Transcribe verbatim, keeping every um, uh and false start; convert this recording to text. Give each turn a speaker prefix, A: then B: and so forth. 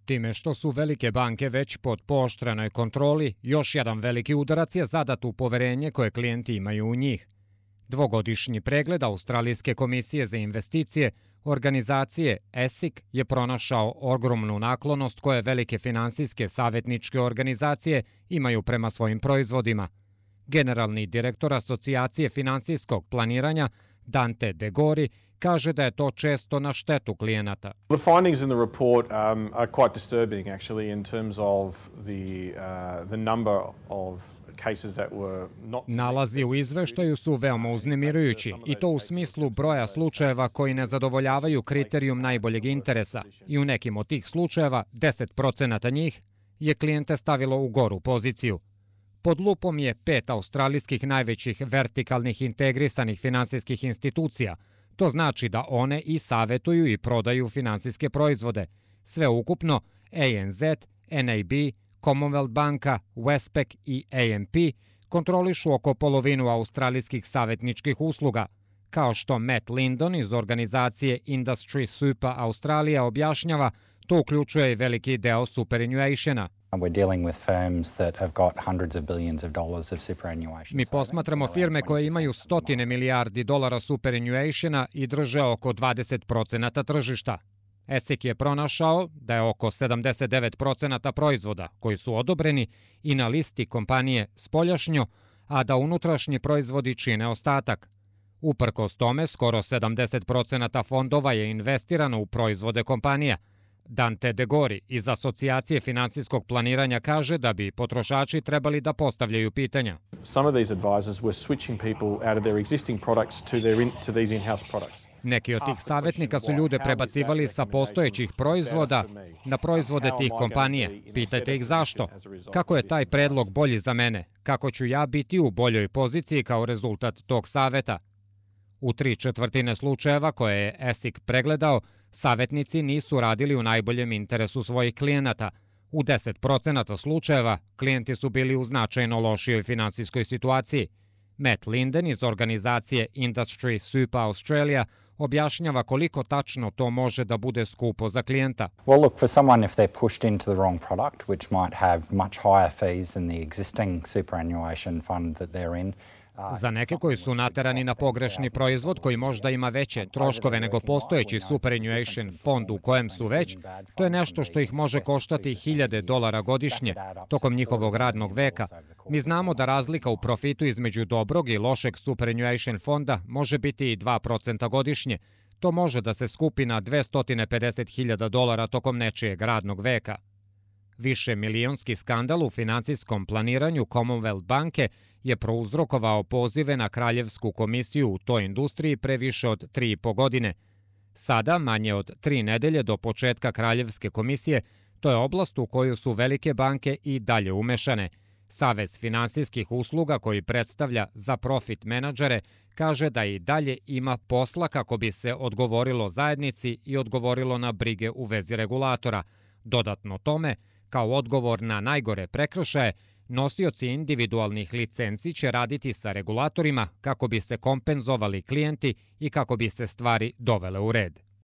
A: Time što su velike banke već pod pooštrenoj kontroli, još jedan veliki udarac je zadat u poverenje koje klijenti imaju u njih. Dvogodišnji pregled Australijske komisije za investicije, organizacije E S I C, je pronašao ogromnu naklonost koje velike finansijske savjetničke organizacije imaju prema svojim proizvodima. Generalni direktor Asocijacije finansijskog planiranja Dante De Gori kaže da je to često na štetu klijenata.
B: The findings in the report um, are quite disturbing actually in terms of the uh, the number of cases that were not.
A: Nalazi u izveštaju su veoma uznemirujući i to u smislu broja slučajeva koji ne zadovoljavaju kriterijum najboljeg interesa i u nekim od tih slučajeva deset procenata njih je klijente stavilo u goru poziciju. Pod lupom je pet australijskih najvećih vertikalnih integrisanih finansijskih institucija. To znači da one i savetuju i prodaju finansijske proizvode. Sve ukupno A N Z, N A B, Commonwealth banka, Westpac i A M P kontrolišu oko polovinu australijskih savetničkih usluga. Kao što Matt Lindon iz organizacije Industry Super Australia objašnjava, to uključuje i veliki deo superannuationa. Mi posmatramo firme koje imaju stotine milijardi dolara superannuationa i drže oko dvadeset procenata tržišta. E S I C je pronašao da je oko sedamdeset devet procenata proizvoda koji su odobreni i na listi kompanije spoljašnjo, a da unutrašnji proizvodi čine ostatak. Uprkos tome, skoro sedamdeset procenata fondova je investirano u proizvode kompanija. Dante De Gori iz Asocijacije finansijskog planiranja kaže da bi potrošači trebali da postavljaju pitanja.
B: Some of these advisors were switching people out of their existing products to their in, to these in-house products.
A: Neki od tih savjetnika su ljude prebacivali sa postojećih proizvoda na proizvode tih kompanije. Pitajte ih zašto. Kako je taj predlog bolji za mene? Kako ću ja biti u boljoj poziciji kao rezultat tog saveta? U tri četvrtine slučajeva koje je E S I C pregledao, savjetnici nisu radili u najboljem interesu svojih klijenata. U deset procenata slučajeva klijenti su bili u značajno lošijoj finansijskoj situaciji. Matt Linden iz organizacije Industry Super Australia objašnjava koliko tačno to može da bude skupo za klijenta.
C: Well, look, for someone if they're pushed into the wrong product, which might have much higher fees than the existing superannuation fund that they're in.
A: Za neke koji su naterani na pogrešni proizvod koji možda ima veće troškove nego postojeći superannuation fond u kojem su već, to je nešto što ih može koštati hiljade dolara godišnje tokom njihovog radnog veka. Mi znamo da razlika u profitu između dobrog i lošeg superannuation fonda može biti i dva procenta godišnje. To može da se skupi na dvesta pedeset hiljada dolara tokom nečijeg radnog veka. Više milionski skandal u finansijskom planiranju Commonwealth banke je prouzrokovao pozive na Kraljevsku komisiju u toj industriji pre više od tri i po godine. Sada, manje od tri nedelje do početka Kraljevske komisije, to je oblast u koju su velike banke i dalje umešane. Savez finansijskih usluga koji predstavlja za profit menadžere kaže da i dalje ima posla kako bi se odgovorilo zajednici i odgovorilo na brige u vezi regulatora. Dodatno tome, kao odgovor na najgore prekršaje, nosioci individualnih licenci će raditi sa regulatorima kako bi se kompenzovali klijenti i kako bi se stvari dovele u red.